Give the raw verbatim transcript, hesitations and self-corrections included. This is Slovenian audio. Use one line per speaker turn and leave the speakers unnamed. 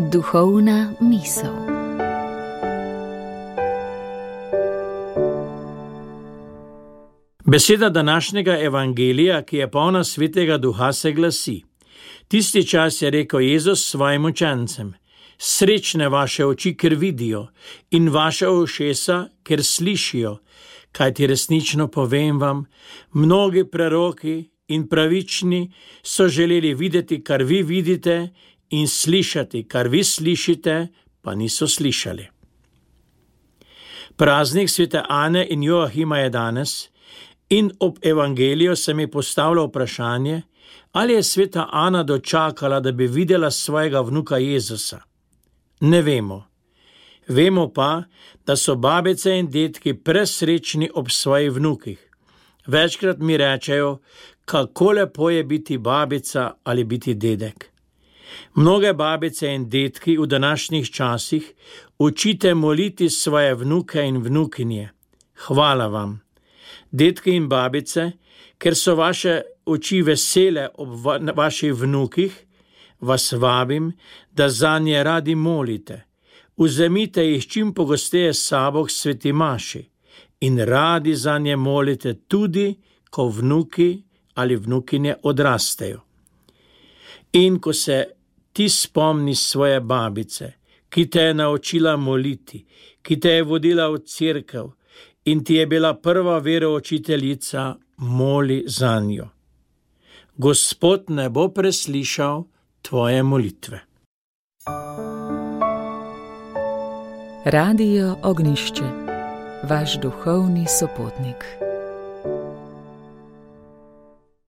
Duhovna misel.
Beseda današnjega evangelija, ki je polna svetega duha, se glasi: Tisti čas je rekel Jezus svojim učencem: Srečne vaše oči, ker vidijo, in vaše ušesa, ker slišijo, kajti resnično povem vam, mnogi preroki in pravični so želeli videti, kar vi vidite, in slišati, kar vi slišite, pa niso slišali. Praznik svete Ane in Joahima je danes in ob evangeliju se mi postavlja vprašanje, ali je sveta Ana dočakala, da bi videla svojega vnuka Jezusa. Ne vemo. Vemo pa, da so babice in detki presrečni ob svojih vnukih. Večkrat mi rečejo, kako lepo je biti babica ali biti dedek. Mnoge babice in detki v današnjih časih učite moliti svoje vnuke in vnukinje. Hvala vam. Detki in babice, ker so vaše oči vesele ob va- vaših vnukih, vas vabim, da zanje radi molite. Vzemite jih čim pogosteje s sabo k sveti maši in radi zanje molite tudi, ko vnuki ali vnukinje odrastejo. In ko se ti spomni svoje babice, ki te je naučila moliti, ki te je vodila v cerkev in ti je bila prva veroučiteljica, moli zanjo. Gospod ne bo preslišal tvoje molitve.
Radio Ognjišče, vaš duhovni sopotnik.